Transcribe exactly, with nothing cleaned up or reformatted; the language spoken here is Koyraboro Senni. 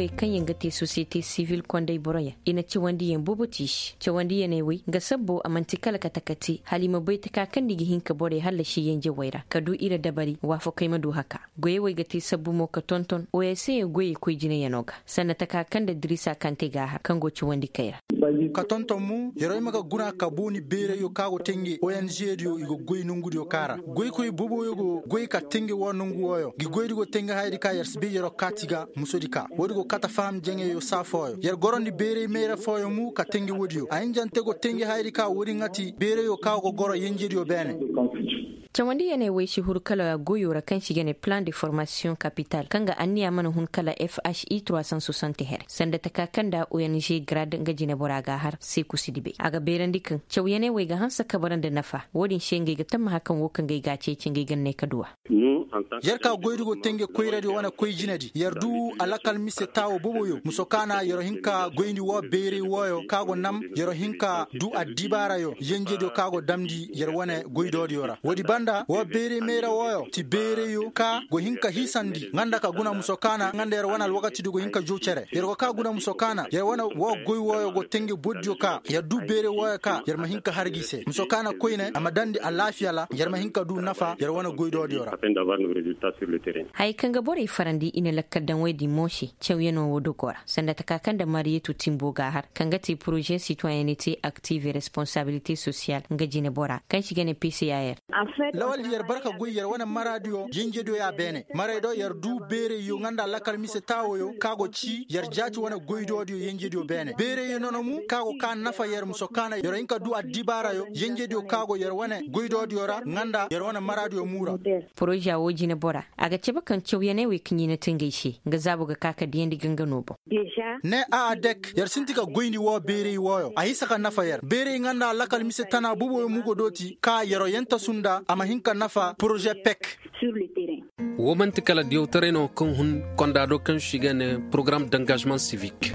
Kaŋ yaŋ ga te sosiyete sivil konday boroyaŋ i na cawandiyaŋ boobo te i se cawandiyaney wey nga sabbo a man'ti kala kate ka te hala i ma bay taka kaŋ nda i ga hin ka borey hallasi yenjewey ra ka du ir dabari waafakey ma du haka. Goyey wey ga te sabbu mo ka tonton oyaŋ se goyey koy jinayano ga sanda taka kaŋ nda dirisa kante ga a har kaŋ go cawandi kay ra. Ka tonton mo yerey ma ga guna ka booni beereyo ka go tenge oyaŋ zeediyo i ga goy nongudiyo ka ra. Goykoy booboyo go goy ka tenge wo nongu woyo ngi goydi go tenge hayadi ka yer si bay yero kaati ga musodi ka woodi go kata faham jaŋeyo saa fooyo yer gorandi beeray mayra fooyo mu ka tenge woodiyo a hinjante go tenge hayadi ka woodi ŋa ti beerayo ka go goro yenjediyo beene. Cawandi yeney wey si huru kala goyo ra kaŋ si ga ne plan de formasiyoŋ kapital kaŋ ga anniya mana hun kala fhi trois cent soixante here sanda taka kaŋ nda ong grad nga jinebora ga a har seeku si dibey a ga beerandi kaŋ caw yeney wey ga hanse ka bara nda nafa wo-din se ngey ga tammaha kaŋ wo kaŋ gay ga a ceeci ngey ga ne ka duwa. Yer ka goydi go tenge koyradi wane koy jinedi yer du alakal mise taawo boboyo muso kaana yer hin ka goyndi wo beeray wooyo ka go nam yer hin ka du addibaarayo yenjediyo ka go damndi yer wane goydoodiyo ra woodi banda wo beeray mayra wooyo ti beerayo ka go hin ka hiisandi nga nda ka guna muso kaana nga nda yer wane alwakatidi go hin ka jow cere yer go ka guna muso kaana yer wane wo goy wooyo go tenge bordiyo ka yer du beeray wooyo ka yer ma hin ka har gi se muso kaana koyne a ma dandi alaafiya ra yer ma hin ka du nafa yer wane goydoodiyo ra. Haya kaŋ ga borey farandi i na lakkal daŋ woy din mo se cawyanoo wo dogo ra sanda taka kaŋ nda mariyatu timbo ga a har kaŋ ga te poroze sitoyenete aktive responsabilite sosiyal nga jinebora kaŋ si ga ne pcr. Lawal yer barka goy yer wane maraadiyo yenjediyo ya beene maray do yer du beerayyo nga nda lakkal mise taawoyo ka go ci yer jaati wane goydoodiyo yenjediyo beene beerayyo nono mu ka go ka nafa yer muso kaana yer hin ka du addibaarayo yenjediyo ka go yer wane goydoodiyo ra nga nda yer wane maraadiyo muura. Poroza wo jinebora a ga cabe kaŋ cawyaney wey kaŋ i na te ngey se nga zaabo ga ka ka diyandi ganga no boŋ. Ne a adek yer sinti ka goyndi wo beeray wooyo a hinsa ka nafa yer beeray nga nda lakal mise tana boboyo mo go dooti ka yeroo yentasu nda a ma hin ka nafa poroze pek. Wo man'ti kala diyawtaray no kaŋ hun konda do kaŋ si ga ne porogaram d'engagement civique.